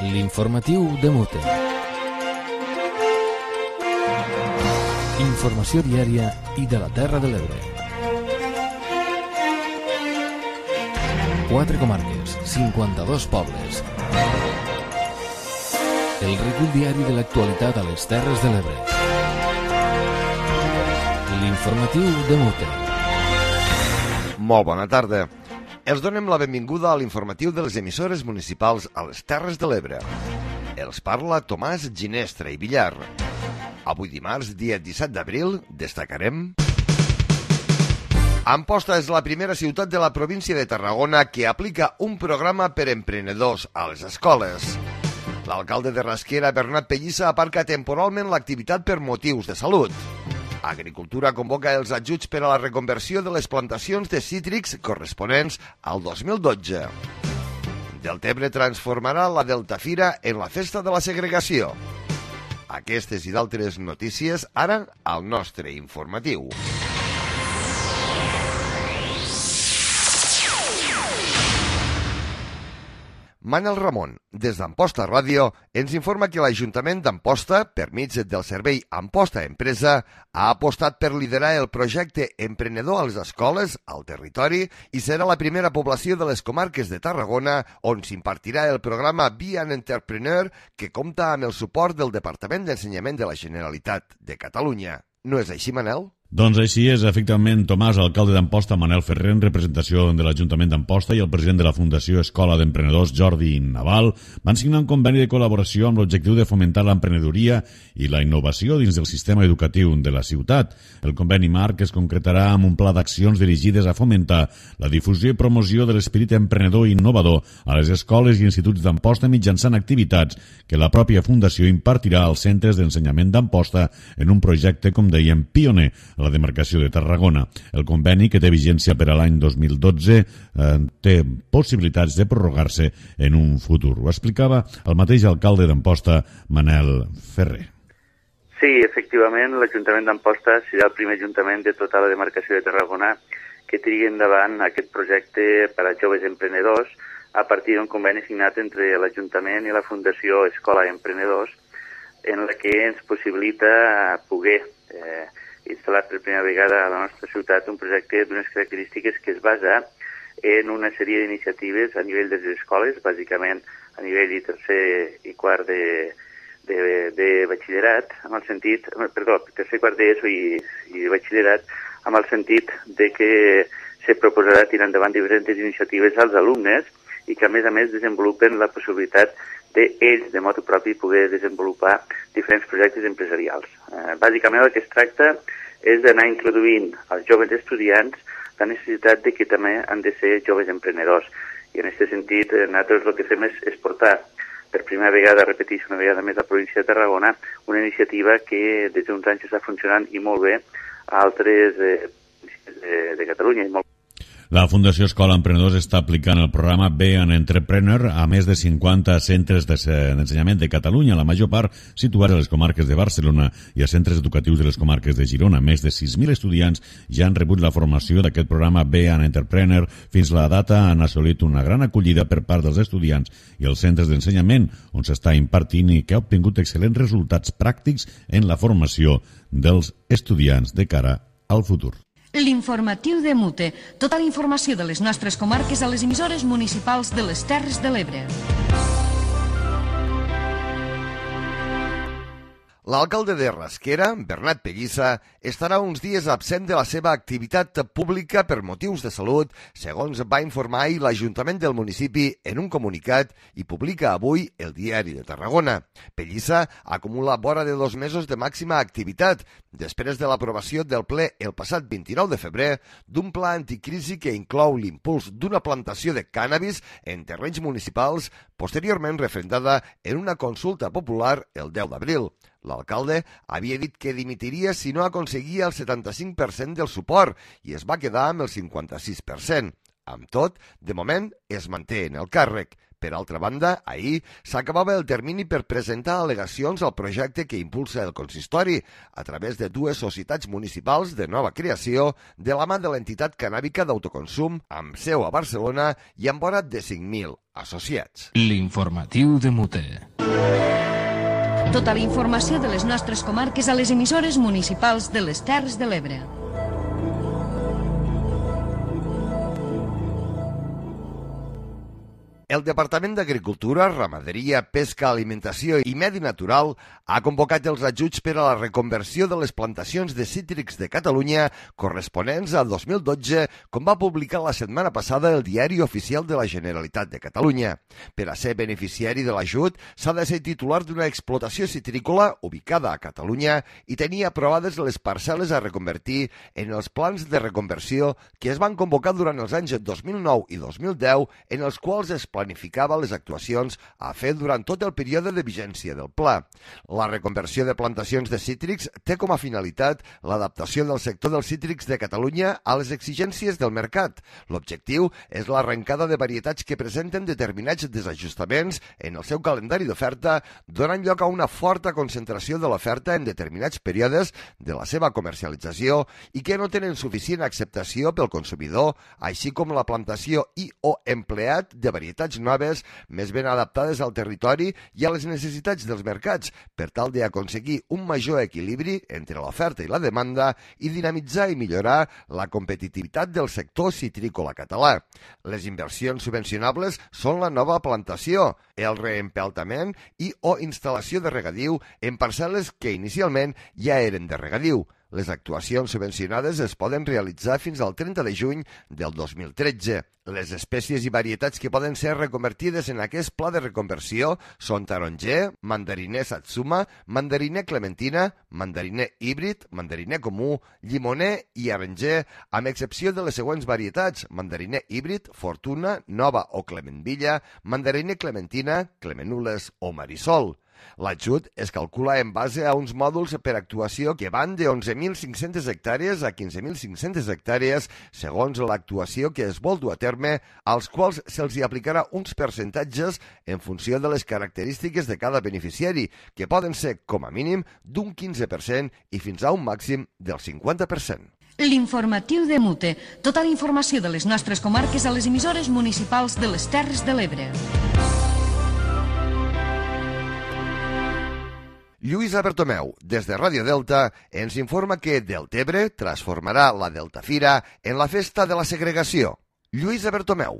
L'informatiu de Mute. Informació diària i de la Terra de l'Ebre. 4 comarques, 52 pobles. El recull diari de l'actualitat a les Terres de l'Ebre. L'informatiu de Mute. Molt bona tarda. Els donem la benvinguda a l'informatiu de les emissores municipals a les Terres de l'Ebre. Els parla Tomàs Ginestra i Villar. Avui dimarts, dia 17 d'abril, destacarem... Amposta és la primera ciutat de la província de Tarragona que aplica un programa per emprenedors a les escoles. L'alcalde de Rasquera, Bernat Pellissa, aparca temporalment l'activitat per motius de salut. Agricultura convoca els ajuts per a la reconversió de les plantacions de cítrics corresponents al 2012. Deltebre transformarà la Deltafira en la festa de la segregació. Aquestes i d'altres notícies ara al nostre informatiu. Manel Ramon, des d'Amposta Ràdio, ens informa que l'Ajuntament d'Amposta, per mig del servei Amposta Empresa, ha apostat per liderar el projecte emprenedor a les escoles, al territori, i serà la primera població de les comarques de Tarragona on s'impartirà el programa Be an Entrepreneur, que compta amb el suport del Departament d'Ensenyament de la Generalitat de Catalunya. No és així, Manel? Doncs així és, efectivament, Tomàs, alcalde d'Amposta, Manel Ferrer, en representació de l'Ajuntament d'Amposta, i el president de la Fundació Escola d'Emprenedors, Jordi Naval, van signar un conveni de col·laboració amb l'objectiu de fomentar l'emprenedoria i la innovació dins del sistema educatiu de la ciutat. El conveni marc es concretarà amb un pla d'accions dirigides a fomentar la difusió i promoció de l'esperit emprenedor i innovador a les escoles i instituts d'Amposta mitjançant activitats que la pròpia Fundació impartirà als centres d'ensenyament d'Amposta en un projecte, com dèiem, pioner a la demarcació de Tarragona. El conveni, que té vigència per a l'any 2012, té possibilitats de prorrogar-se en un futur. Ho explicava el mateix alcalde d'Amposta, Manel Ferrer. Sí, efectivament, l'Ajuntament d'Amposta serà el primer ajuntament de tota la demarcació de Tarragona que trigui endavant aquest projecte per a joves emprenedors a partir d'un conveni signat entre l'Ajuntament i la Fundació Escola d'Emprenedors, en la que ens possibilita poder instal·lar per primera vegada a la nostra ciutat un projecte d'unes característiques que es basa en una sèrie d'iniciatives a nivell de les escoles, bàsicament a nivell de tercer i quart de batxillerat, amb el sentit, tercer i quart d'ESO i batxillerat, amb el sentit de que se proposarà tirar endavant diferents iniciatives als alumnes i que a més desenvolupen la possibilitat d'ells, de motu propi, poder desenvolupar diferents projectes empresarials. Bàsicament el que es tracta és d'anar introduint als joves estudiants la necessitat de que també han de ser joves emprenedors. I en aquest sentit, nosaltres el que fem és portar per primera vegada, repeteixo una vegada més, a la província de Tarragona, una iniciativa que des d'uns anys està funcionant i molt bé a altres de Catalunya. La Fundació Escola Emprenedors està aplicant el programa Be an Entrepreneur a més de 50 centres d'ensenyament de Catalunya, la major part situats a les comarques de Barcelona i a centres educatius de les comarques de Girona. Més de 6.000 estudiants ja han rebut la formació d'aquest programa Be an Entrepreneur. Fins la data han assolit una gran acollida per part dels estudiants i els centres d'ensenyament on s'està impartint i que ha obtingut excel·lents resultats pràctics en la formació dels estudiants de cara al futur. L'informatiu de Mute. Tota la informació de les nostres comarques a les emissores municipals de les Terres de l'Ebre. L'alcalde de Rasquera, Bernat Pellissa, estarà uns dies absent de la seva activitat pública per motius de salut, segons va informar ahir l'Ajuntament del municipi en un comunicat i publica avui el Diari de Tarragona. Pellissa acumula vora de 2 mesos de màxima activitat, després de l'aprovació del ple el passat 29 de febrer d'un pla anticrisi que inclou l'impuls d'una plantació de cànnabis en terrenys municipals, posteriorment referendada en una consulta popular el 10 d'abril. L'alcalde havia dit que dimitiria si no aconseguia el 75% del suport i es va quedar amb el 56%. Amb tot, de moment es manté en el càrrec. Per altra banda, ahir s'acabava el termini per presentar al·legacions al projecte que impulsa el consistori a través de dues societats municipals de nova creació de la mà de l'entitat cannàbica d'autoconsum amb seu a Barcelona i amb vora de 5.000 associats. L'informatiu de Mute. Tota la informació de les nostres comarques a les emissores municipals de les Terres de l'Ebre. El Departament d'Agricultura, Ramaderia, Pesca, Alimentació i Medi Natural ha convocat els ajuts per a la reconversió de les plantacions de cítrics de Catalunya corresponents a 2012, com va publicar la setmana passada el Diari Oficial de la Generalitat de Catalunya. Per a ser beneficiari de l'ajut, s'ha de ser titular d'una explotació citrícola ubicada a Catalunya i tenir aprovades les parcel·les a reconvertir en els plans de reconversió que es van convocar durant els anys 2009 i 2010, en els quals es planificava les actuacions a fer durant tot el període de vigència del pla. La reconversió de plantacions de cítrics té com a finalitat l'adaptació del sector dels cítrics de Catalunya a les exigències del mercat. L'objectiu és l'arrencada de varietats que presenten determinats desajustaments en el seu calendari d'oferta, donant lloc a una forta concentració de l'oferta en determinats períodes de la seva comercialització i que no tenen suficient acceptació pel consumidor, així com la plantació i o empleat de varietats noves més ben adaptades al territori i a les necessitats dels mercats, per tal d'aconseguir un major equilibri entre l'oferta i la demanda i dinamitzar i millorar la competitivitat del sector citrícola català. Les inversions subvencionables són la nova plantació, el reempeltament i o instal·lació de regadiu en parcel·les que inicialment ja eren de regadiu. Les actuacions subvencionades es poden realitzar fins al 30 de juny del 2013. Les espècies i varietats que poden ser reconvertides en aquest pla de reconversió són taronger, mandariner satsuma, mandariner clementina, mandariner híbrid, mandariner comú, llimoner i aranger, amb excepció de les següents varietats: mandariner híbrid, fortuna, nova o clementvilla, mandariner clementina, clemenules o marisol. L'ajut es calcula en base a uns mòduls per actuació que van de 11.500 hectàrees a 15.500 hectàrees segons l'actuació que es vol dur a terme, als quals se'ls aplicarà uns percentatges en funció de les característiques de cada beneficiari, que poden ser, com a mínim, d'un 15% i fins a un màxim del 50%. L'informatiu de Mute. Tota la informació de les nostres comarques a les emissores municipals de les Terres de l'Ebre. Lluïsa Bertomeu, des de Ràdio Delta, ens informa que Deltebre transformarà la Deltafira en la festa de la segregació. Lluïsa Bertomeu.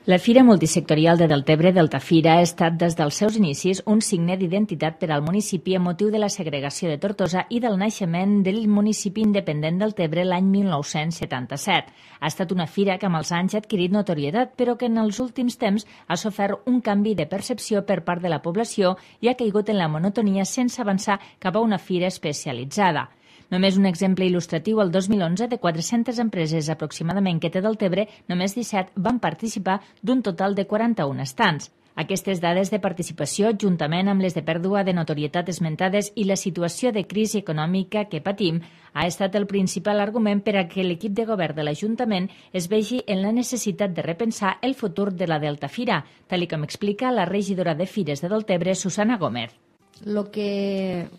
La Fira Multisectorial de Deltebre, Deltafira, ha estat des dels seus inicis un signe d'identitat per al municipi amb motiu de la segregació de Tortosa i del naixement del municipi independent Deltebre l'any 1977. Ha estat una fira que amb els anys ha adquirit notorietat, però que en els últims temps ha sofert un canvi de percepció per part de la població i ha caigut en la monotonia sense avançar cap a una fira especialitzada. Només un exemple il·lustratiu, el 2011, de 400 empreses aproximadament que té Deltebre, només 17 van participar d'un total de 41 estants. Aquestes dades de participació, juntament amb les de pèrdua de notorietat esmentades i la situació de crisi econòmica que patim, ha estat el principal argument per a que l'equip de govern de l'Ajuntament es vegi en la necessitat de repensar el futur de la Deltafira, tal com explica la regidora de Fires de Deltebre, Susana Gómez. Lo que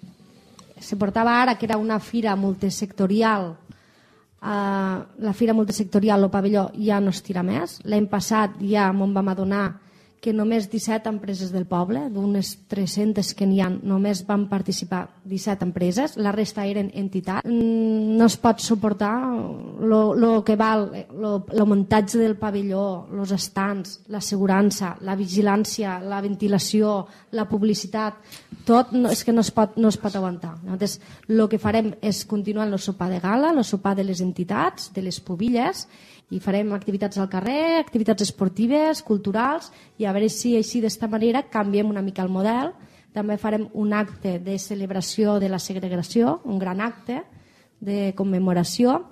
se portava ara, que era una fira multisectorial, la fira multisectorial, el pavelló, ja no es tira més. L'any passat ja m'en vam adonar que només 17 empreses del poble, d'unes 300 que n'hi ha, només van participar 17 empreses, la resta eren entitats. No es pot suportar lo que val el muntatge del pavelló, els estants, l'assegurança, la vigilància, la ventilació, la publicitat, tot és que no es pot aguantar. Llavors, el que farem és continuar el sopar de gala, el sopar de les entitats, de les pubilles, i farem activitats al carrer, activitats esportives, culturals, i a veure si així d'esta manera canviem una mica el model. També farem un acte de celebració de la segregació, un gran acte de commemoració,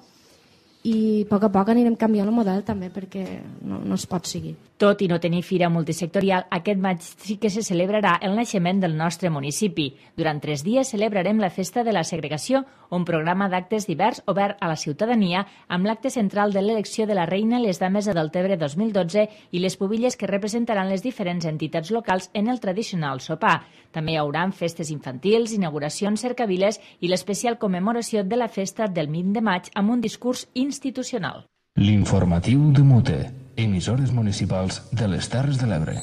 i a poc anirem canviant el model també perquè no es pot seguir. Tot i no tenir fira multisectorial, aquest maig sí que se celebrarà el naixement del nostre municipi. Durant 3 dies celebrarem la Festa de la Segregació, un programa d'actes divers obert a la ciutadania amb l'acte central de l'elecció de la reina, les dames de Deltebre 2012 i les pubilles que representaran les diferents entitats locals en el tradicional sopar. També hi haurà festes infantils, inauguracions, cercaviles i l'especial commemoració de la festa del 20 de maig amb un discurs institucional. L'informatiu de Mute, emissores municipals de les Terres de l'Ebre.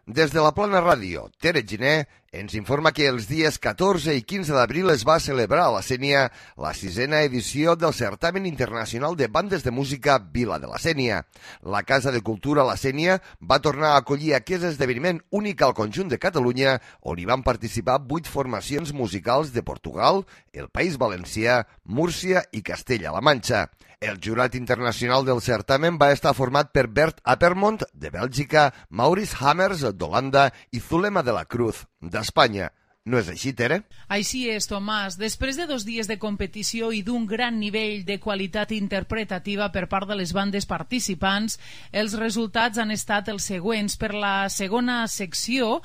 Des de la Plana Ràdio, Tere Giner ens informa que els dies 14 i 15 d'abril es va celebrar a la Sénia la 6a edició del Certamen Internacional de Bandes de Música Vila de la Sénia. La Casa de Cultura La Sénia va tornar a acollir aquest esdeveniment únic al conjunt de Catalunya, on hi van participar 8 formacions musicals de Portugal, el País Valencià, Múrcia i Castella-La Manxa. El jurat internacional del certamen va estar format per Bert Appermont, de Bèlgica, Maurice Hammers, d'Holanda, i Zulema de la Cruz, d'Espanya. No és així, Tere? Així és, Tomàs. Després de 2 dies de competició i d'un gran nivell de qualitat interpretativa per part de les bandes participants, els resultats han estat els següents. Per la segona secció,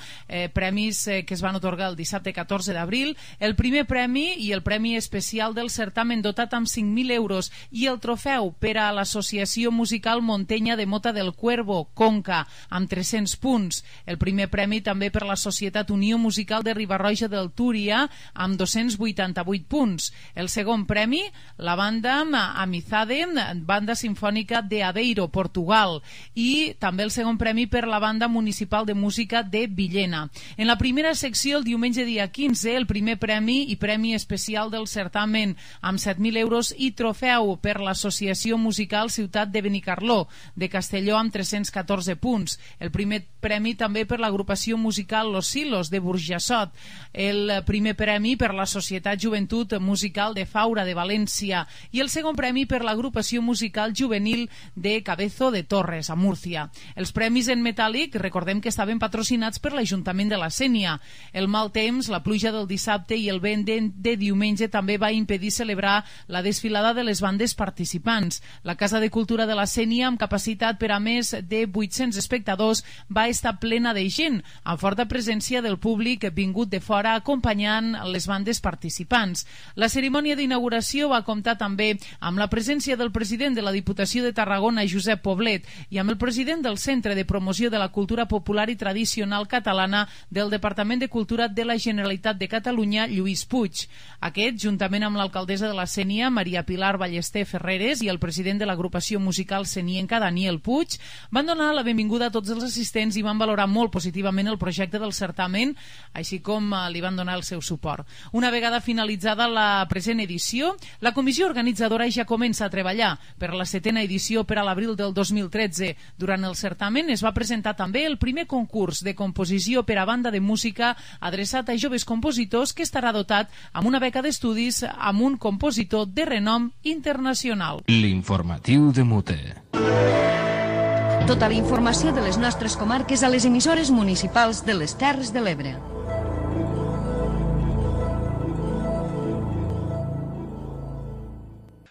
premis que es van otorgar el dissabte 14 d'abril, el primer premi i el premi especial del certamen dotat amb 5.000 euros i el trofeu per a l'Associació Musical Montenya de Mota del Cuervo, Conca, amb 300 punts. El primer premi també per la Societat Unió Musical de Ribarroja del Túria amb 288 punts. El segon premi, la banda Amizade, banda sinfònica de Aveiro, Portugal, i també el segon premi per la banda municipal de música de Villena. En la primera secció, el diumenge dia 15, el primer premi i premi especial del certamen amb 7.000 euros i trofeu per l'Associació Musical Ciutat de Benicarló, de Castelló, amb 314 punts. El primer premi també per l'agrupació musical Los Silos, de Burjassot. El primer premi per la Societat Joventut Musical de Faura, de València, i el segon premi per l'agrupació musical juvenil de Cabezo de Torres, a Múrcia. Els premis en metàl·lic, recordem que estaven patrocinats per l'Ajuntament de la Sénia. El mal temps, la pluja del dissabte i el vent de diumenge també va impedir celebrar la desfilada de les bandes participants. La Casa de Cultura de la Sénia, amb capacitat per a més de 800 espectadors, va estar plena de gent, amb forta presència del públic vingut de fora acompanyant les bandes participants. La cerimònia d'inauguració va comptar també amb la presència del president de la Diputació de Tarragona, Josep Poblet, i amb el president del Centre de Promoció de la Cultura Popular i Tradicional Catalana del Departament de Cultura de la Generalitat de Catalunya, Lluís Puig. Aquest, juntament amb l'alcaldessa de la Sénia, Maria Pilar Ballester Ferreres, i el president de l'agrupació musical senienca, Daniel Puig, van donar la benvinguda a tots els assistents i van valorar molt positivament el projecte del certamen, així com li van donar el seu suport. Una vegada finalitzada la present edició, la comissió organitzadora ja comença a treballar per la 7a edició per a l'abril del 2013. Durant el certamen es va presentar també el primer concurs de composició per a banda de música adreçat a joves compositors, que estarà dotat amb una beca d'estudis amb un compositor de renom internacional. L'informatiu de Mute. Tota la informació de les nostres comarques a les emissores municipals de les Terres de l'Ebre.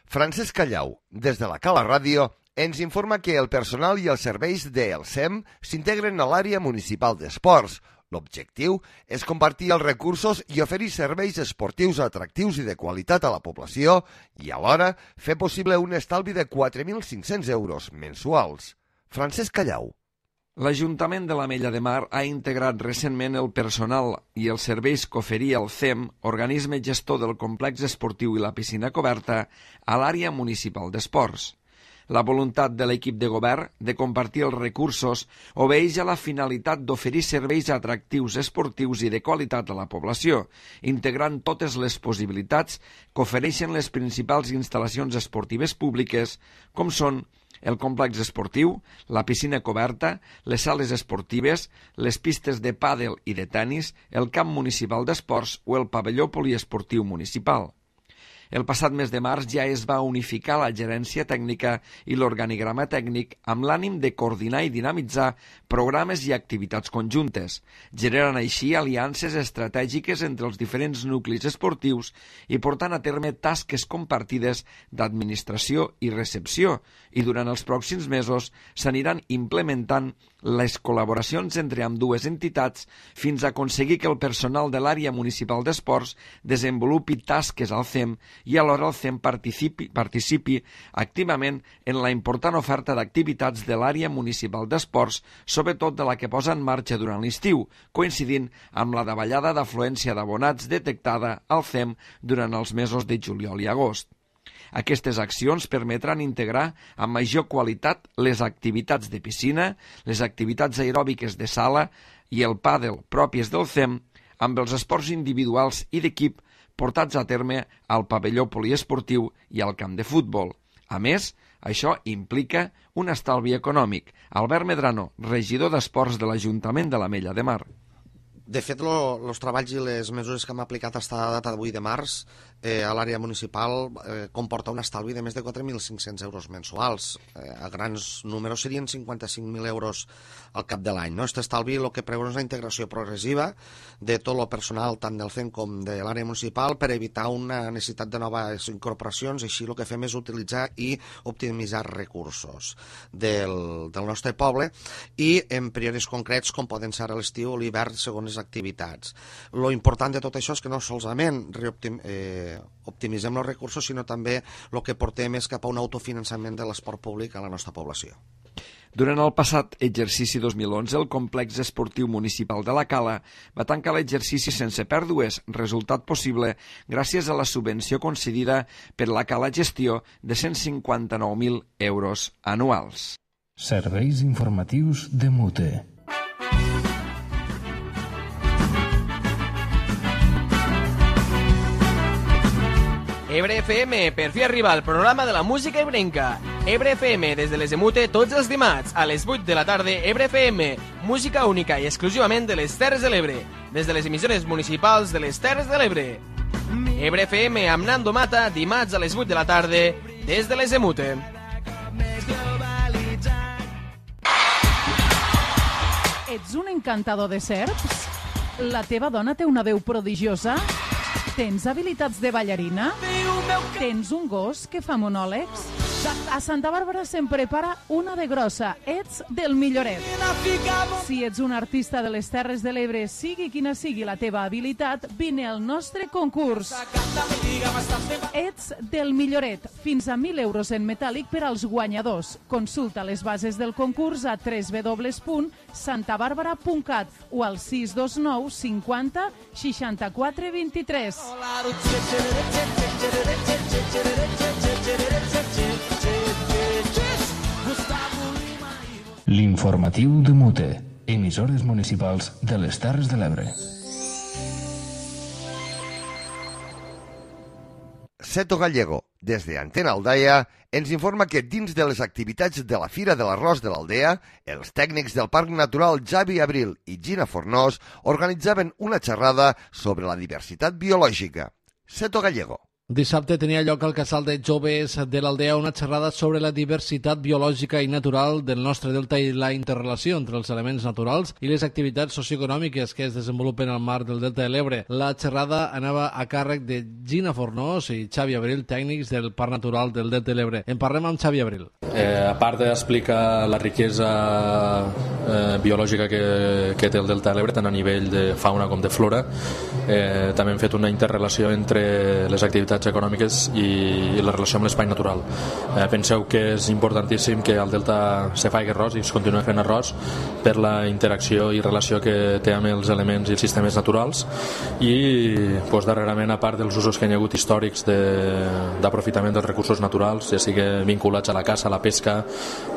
Francesc Callau, des de la Cala Ràdio, ens informa que el personal i els serveis del SEM s'integren a l'àrea municipal d'esports. L'objectiu és compartir els recursos i oferir serveis esportius atractius i de qualitat a la població i alhora fer possible un estalvi de 4.500 euros mensuals. Francesc Callau. L'Ajuntament de l'Ametlla de Mar ha integrat recentment el personal i els serveis que oferia el CEM, organisme gestor del complex esportiu i la piscina coberta, a l'àrea municipal d'esports. La voluntat de l'equip de govern de compartir els recursos obeeix a la finalitat d'oferir serveis atractius esportius i de qualitat a la població, integrant totes les possibilitats que ofereixen les principals instal·lacions esportives públiques, com són el complex esportiu, la piscina coberta, les sales esportives, les pistes de pàdel i de tennis, el camp municipal d'esports o el pavelló poliesportiu municipal. El passat mes de març ja es va unificar la gerència tècnica i l'organigrama tècnic amb l'ànim de coordinar i dinamitzar programes i activitats conjuntes, generant així aliances estratègiques entre els diferents nuclis esportius i portant a terme tasques compartides d'administració i recepció, i durant els pròxims mesos s'aniran implementant les col·laboracions entre ambdues entitats fins a aconseguir que el personal de l'àrea municipal d'esports desenvolupi tasques al CEM i alhora el CEM participi activament en la important oferta d'activitats de l'àrea municipal d'esports, sobretot de la que posa en marxa durant l'estiu, coincidint amb la davallada d'afluència d'abonats detectada al CEM durant els mesos de juliol i agost. Aquestes accions permetran integrar amb major qualitat les activitats de piscina, les activitats aeròbiques de sala i el pàdel pròpies del CEM amb els esports individuals i d'equip portats a terme al pavelló poliesportiu i al camp de futbol. A més, això implica un estalvi econòmic. Albert Medrano, regidor d'Esports de l'Ajuntament de l'Ametlla de Mar. De fet, els treballs i les mesures que hem aplicat fins a la data d'avui de març a l'àrea municipal comporta un estalvi de més de 4.500 euros mensuals. A grans números serien 55.000 euros al cap de l'any. Aquest estalvi el que preveu és la integració progressiva de tot el personal, tant del CEM com de l'àrea municipal, per evitar una necessitat de noves incorporacions. Així el que fem és utilitzar i optimitzar recursos del nostre poble i en períodes concrets com poden ser a l'estiu o l'hivern segons les activitats. Lo important de tot això és que no solament optimitzem els recursos, sinó també el que portem és cap a un autofinançament de l'esport públic a la nostra població. Durant el passat exercici 2011, el complex esportiu municipal de la Cala va tancar l'exercici sense pèrdues, resultat possible gràcies a la subvenció concedida per la Cala Gestió de 159.000 euros anuals. Serveis informatius de Mute. Ebre FM, per fi arriba el programa de la música ebrenca. Ebre FM, des de les de Mute, tots els dimarts, a les 8 de la tarda, Ebre FM, música única i exclusivament de les Terres de l'Ebre, des de les emissores municipals de les Terres de l'Ebre. Ebre FM amb Nando Mata, dimarts a les 8 de la tarda, des de les de Mute. Ets un encantador de serps? La teva dona té una veu prodigiosa? Tens habilitats de ballarina? Tens un gos que fa monòlegs? A Santa Bàrbara se'n prepara una de grossa. Ets del milloret. Si ets un artista de les Terres de l'Ebre, sigui quina sigui la teva habilitat, vine al nostre concurs. Ets del milloret. Fins a 1.000 euros en metàl·lic per als guanyadors. Consulta les bases del concurs a www.santabarbara.cat o al 629 50 64 23. L'informatiu de Mute, emissores municipals de les Terres de l'Ebre. Seto Gallego, des de Antena Aldaia, ens informa que dins de les activitats de la Fira de l'Arròs de l'Aldea, els tècnics del Parc Natural Javi Abril i Gina Fornós organitzaven una xerrada sobre la diversitat biològica. Seto Gallego. Dissabte tenia lloc al Casal de Joves de l'Aldea una xerrada sobre la diversitat biològica i natural del nostre delta i la interrelació entre els elements naturals i les activitats socioeconòmiques que es desenvolupen al mar del delta de l'Ebre. La xerrada anava a càrrec de Gina Fornós i Xavi Abril, tècnics del Parc Natural del delta de l'Ebre. En parlem amb Xavi Abril. A part d'explicar la riquesa biològica que té el delta de l'Ebre, tant a nivell de fauna com de flora, també hem fet una interrelació entre les activitats econòmiques i la relació amb l'espai natural. Penseu que és importantíssim que al delta se faci arròs i es continua fent arròs per la interacció i relació que té amb els elements i els sistemes naturals i darrerament, a part dels usos que hi ha hagut històrics d'aprofitament dels recursos naturals, ja sigui vinculats a la caça, a la pesca,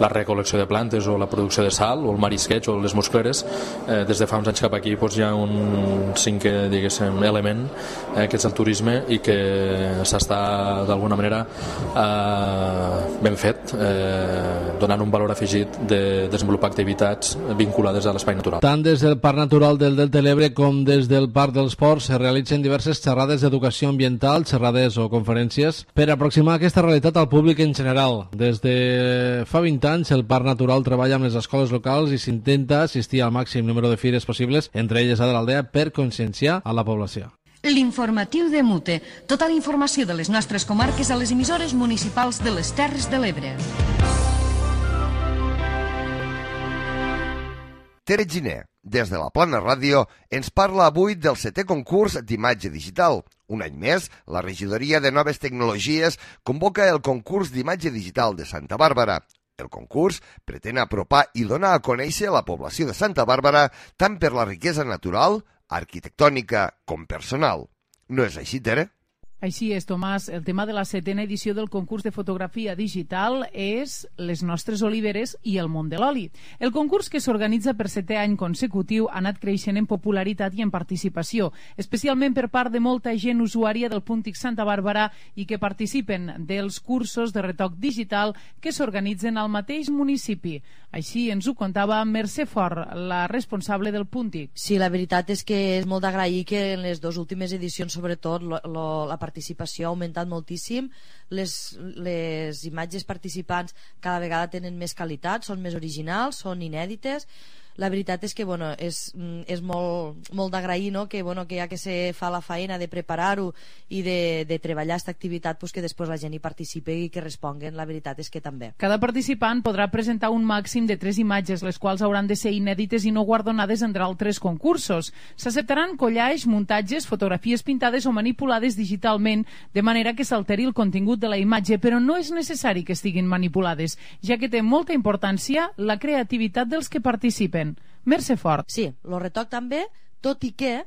la recol·lecció de plantes o la producció de sal o el marisqueig o les muscleres, des de fa uns anys cap aquí hi ha un cinquè element que és el turisme i que s'està d'alguna manera ben fet, donant un valor afegit de desenvolupar activitats vinculades a l'espai natural. Tant des del Parc Natural del Delta de l'Ebre com des del Parc dels Ports se realitzen diverses xerrades d'educació ambiental, xerrades o conferències per aproximar aquesta realitat al públic en general. Des de fa 20 anys el Parc Natural treballa amb les escoles locals i s'intenta assistir al màxim número de fires possibles, entre elles a de l'Aldea, per conscienciar a la població. L'informatiu de Mute. Tota la informació de les nostres comarques a les emissores municipals de les Terres de l'Ebre. Tere Giner, des de la Plana Ràdio, ens parla avui del 7è concurs d'imatge digital. Un any més, la Regidoria de Noves Tecnologies convoca el concurs d'imatge digital de Santa Bàrbara. El concurs pretén apropar i donar a conèixer la població de Santa Bàrbara tant per la riquesa natural, arquitectònica com personal. No és així, Tere? Així és, Tomàs. El tema de la 7a edició del concurs de fotografia digital és les nostres oliveres i el món de l'oli. El concurs, que s'organitza per 7è any consecutiu, ha anat creixent en popularitat i en participació, especialment per part de molta gent usuària del Puntic Santa Bàrbara i que participen dels cursos de retoc digital que s'organitzen al mateix municipi. Així ens ho contava Mercè Fort, la responsable del Puntic. Sí, la veritat és que és molt d'agrair que en les dues últimes edicions, sobretot, la participació ha augmentat moltíssim, les imatges participants cada vegada tenen més qualitat, són més originals, són inèdites. La veritat és que és molt d'agrair, no? Que ja que se fa la feina de preparar-ho i de treballar aquesta activitat, que després la gent hi participi i que responguen. La veritat és que també. Cada participant podrà presentar un màxim de 3 imatges, les quals hauran de ser inèdites i no guardonades entre altres concursos. S'acceptaran collages, muntatges, fotografies pintades o manipulades digitalment, de manera que s'alteri el contingut de la imatge, però no és necessari que estiguin manipulades, ja que té molta importància la creativitat dels que participen. Mercè Fort. Sí, el retoc també, tot i que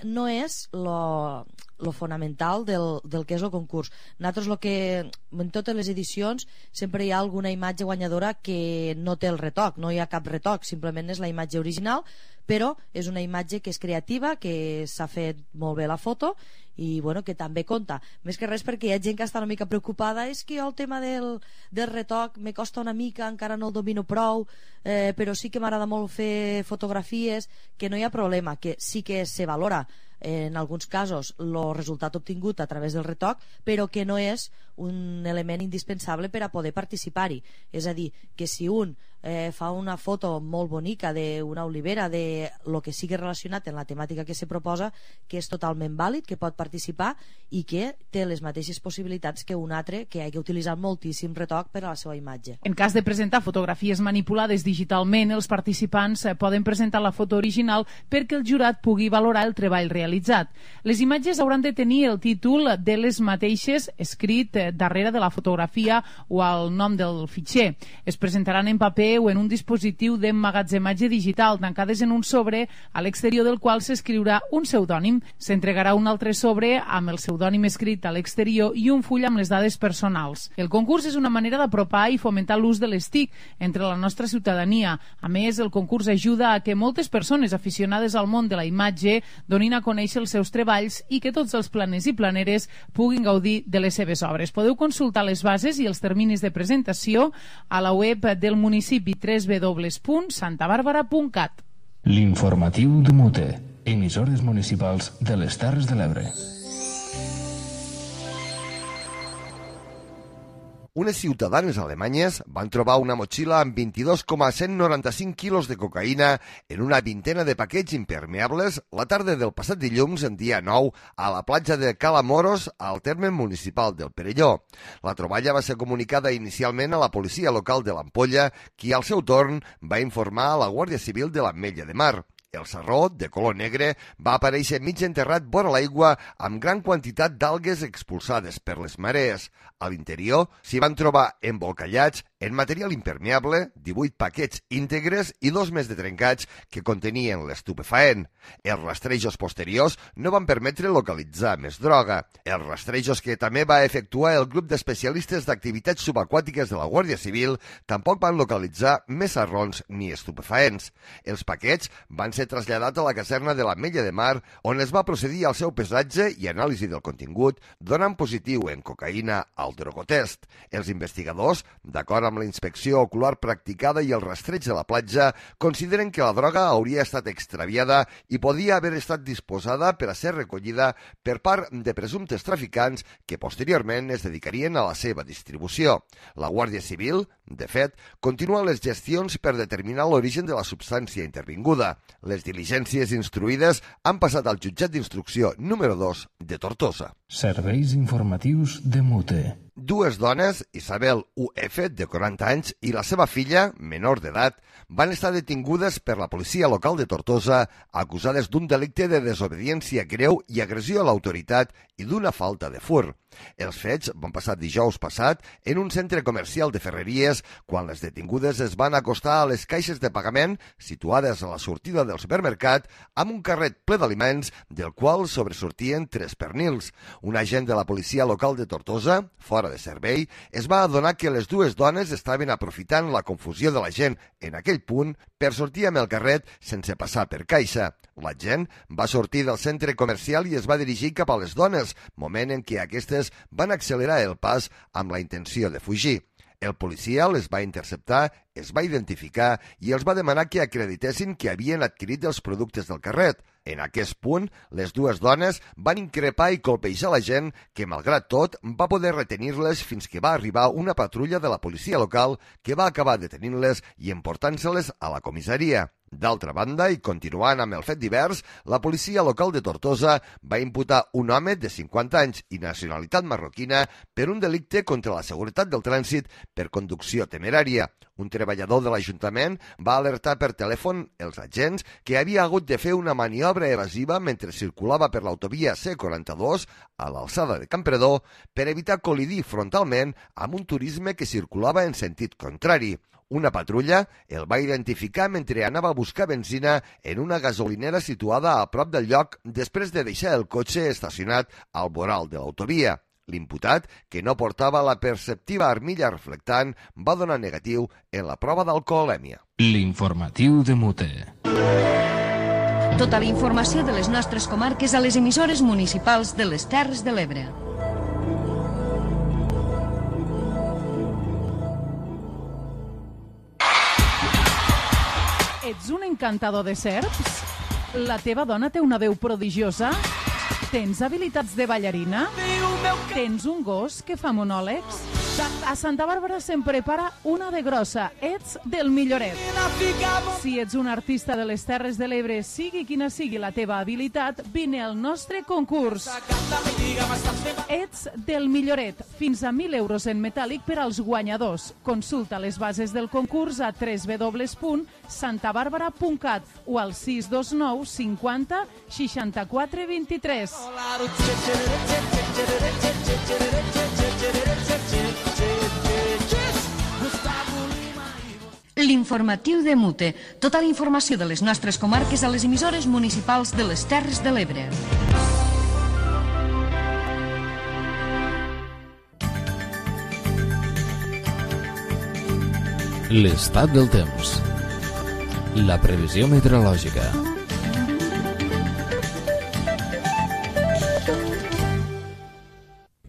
no és lo fonamental del que és el concurs. Nosaltres en totes les edicions sempre hi ha alguna imatge guanyadora que no té el retoc, no hi ha cap retoc, simplement és la imatge original, però és una imatge que és creativa, que s'ha fet molt bé la foto i que també compta. Més que res perquè hi ha gent que està una mica preocupada, és que el tema del retoc me costa una mica, encara no el domino prou, però sí que m'agrada molt fer fotografies, que no hi ha problema, que sí que se valora en alguns casos el resultat obtingut a través del retoc, però que no és un element indispensable per a poder participar-hi. És a dir, que si un fa una foto molt bonica d'una olivera, de lo que sigui relacionat en la temàtica que se proposa, que és totalment vàlid, que pot participar i que té les mateixes possibilitats que un altre que hagi utilitzat moltíssim retoc per a la seva imatge. En cas de presentar fotografies manipulades digitalment, els participants poden presentar la foto original perquè el jurat pugui valorar el treball realitzat. Les imatges hauran de tenir el títol de les mateixes escrit darrere de la fotografia o el nom del fitxer. Es presentaran en paper o en un dispositiu d'emmagatzematge digital, tancades en un sobre a l'exterior del qual s'escriurà un pseudònim. S'entregarà un altre sobre amb el pseudònim escrit a l'exterior i un full amb les dades personals. El concurs és una manera d'apropar i fomentar l'ús de les TIC entre la nostra ciutadania. A més, el concurs ajuda a que moltes persones aficionades al món de la imatge donin a conèixer els seus treballs i que tots els planers i planeres puguin gaudir de les seves obres. Podeu consultar les bases i els terminis de presentació a la web del municipi www.santabarbara.cat. L'informatiu de Mute, emissores municipals de les Terres de l'Ebre. Unes ciutadanes alemanyes van trobar una motxilla amb 22,195 quilos de cocaïna en una vintena de paquets impermeables la tarda del passat dilluns, en dia 9, a la platja de Cala Moros, al terme municipal del Perelló. La troballa va ser comunicada inicialment a la policia local de l'Ampolla, qui al seu torn va informar a la Guàrdia Civil de l'Ametlla de Mar. El sarró, de color negre, va aparèixer mig enterrat vora l'aigua amb gran quantitat d'algues expulsades per les marees. A l'interior s'hi van trobar embolcallats En material impermeable, 18 paquets íntegres i 2 més de trencats que contenien l'estupefaent. Els rastrejos posteriors no van permetre localitzar més droga. Els rastrejos que també va efectuar el grup d'especialistes d'activitats subaquàtiques de la Guàrdia Civil tampoc van localitzar més arrons ni estupefaents. Els paquets van ser traslladats a la caserna de l'Ametlla de Mar, on es va procedir al seu pesatge i anàlisi del contingut, donant positiu en cocaïna al drogotest. Els investigadors, d'acord amb la inspecció ocular practicada i el rastreig de la platja, consideren que la droga hauria estat extraviada i podia haver estat disposada per a ser recollida per part de presumptes traficants que posteriorment es dedicarien a la seva distribució. La Guàrdia Civil, de fet, continua les gestions per determinar l'origen de la substància intervinguda. Les diligències instruïdes han passat al jutjat d'instrucció número 2 de Tortosa. Serveis informatius de Mute. Dues dones, Isabel U.F., de 40 anys, i la seva filla, menor d'edat, van estar detingudes per la policia local de Tortosa, acusades d'un delicte de desobediència greu i agressió a l'autoritat i d'una falta de fur. Els fets van passar dijous passat en un centre comercial de Ferreries, quan les detingudes es van acostar a les caixes de pagament situades a la sortida del supermercat amb un carret ple d'aliments del qual sobresortien 3 pernils. Un agent de la policia local de Tortosa, fora de servei, es va adonar que les dues dones estaven aprofitant la confusió de la gent en aquell punt per sortir amb el carret sense passar per caixa. L'agent va sortir del centre comercial i es va dirigir cap a les dones, moment en què aquestes van accelerar el pas amb la intenció de fugir. El policia les va interceptar, es va identificar i els va demanar que acreditessin que havien adquirit els productes del carret. En aquest punt, les dues dones van increpar i colpejar la gent que, malgrat tot, va poder retenir-les fins que va arribar una patrulla de la policia local que va acabar detenint-les i emportant-se-les a la comissaria. D'altra banda, i continuant amb el fet divers, la policia local de Tortosa va imputar un home de 50 anys i nacionalitat marroquina per un delicte contra la seguretat del trànsit per conducció temerària. Un treballador de l'Ajuntament va alertar per telèfon els agents que havia hagut de fer una maniobra evasiva mentre circulava per l'autovia C42 a l'alçada de Campredó per evitar col·lidir frontalment amb un turisme que circulava en sentit contrari. Una patrulla el va identificar mentre anava a buscar benzina en una gasolinera situada a prop del lloc després de deixar el cotxe estacionat al voral de l'autovia. L'imputat, que no portava la perceptiva armilla reflectant, va donar negatiu en la prova d'alcoholèmia. L'informatiu de Mute. Tota la informació de les nostres comarques a les emissores municipals de les Terres de l'Ebre. Ets un encantador de serps? La teva dona té una veu prodigiosa? Tens habilitats de ballarina? Tens un gos que fa monòlegs? A Santa Bàrbara se'n prepara una de grossa. Ets del milloret. Si ets un artista de les Terres de l'Ebre, sigui quina sigui la teva habilitat, vine al nostre concurs. Ets del milloret. Fins a 1.000 euros en metàl·lic per als guanyadors. Consulta les bases del concurs a www.santabarbara.cat o al 629 50 64 23. L'informatiu de Mute. Tota la informació de les nostres comarques a les emissores municipals de les Terres de l'Ebre. L'estat del temps. La previsió meteorològica.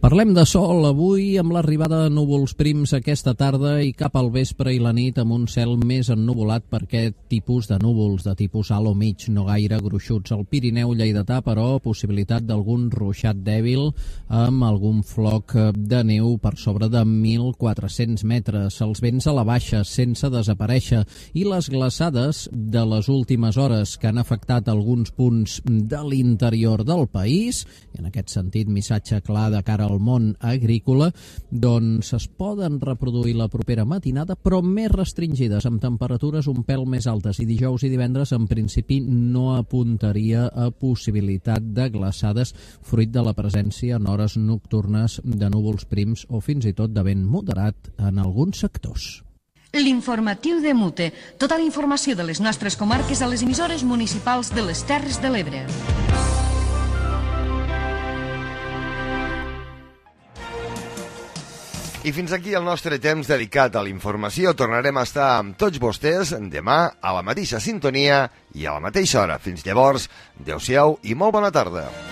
Parlem de sol avui amb l'arribada de núvols prims aquesta tarda i cap al vespre i la nit amb un cel més ennuvolat per aquest tipus de núvols de tipus alt o mig, no gaire gruixuts. Al Pirineu lleidatà, però, possibilitat d'algun ruixat dèbil amb algun floc de neu per sobre de 1.400 metres. Els vents a la baixa sense desaparèixer i les glaçades de les últimes hores que han afectat alguns punts de l'interior del país. I en aquest sentit, missatge clar de cara al món agrícola, doncs es poden reproduir la propera matinada, però més restringides, amb temperatures un pèl més altes, i dijous i divendres en principi no apuntaria a possibilitat de glaçades fruit de la presència en hores nocturnes de núvols prims o fins i tot de vent moderat en alguns sectors. L'informatiu de Mute. Tota la informació de les nostres comarques a les emissores municipals de les Terres de l'Ebre. I fins aquí el nostre temps dedicat a la informació. Tornarem a estar amb tots vostès demà a la mateixa sintonia i a la mateixa hora. Fins llavors, adeu-siau i molt bona tarda.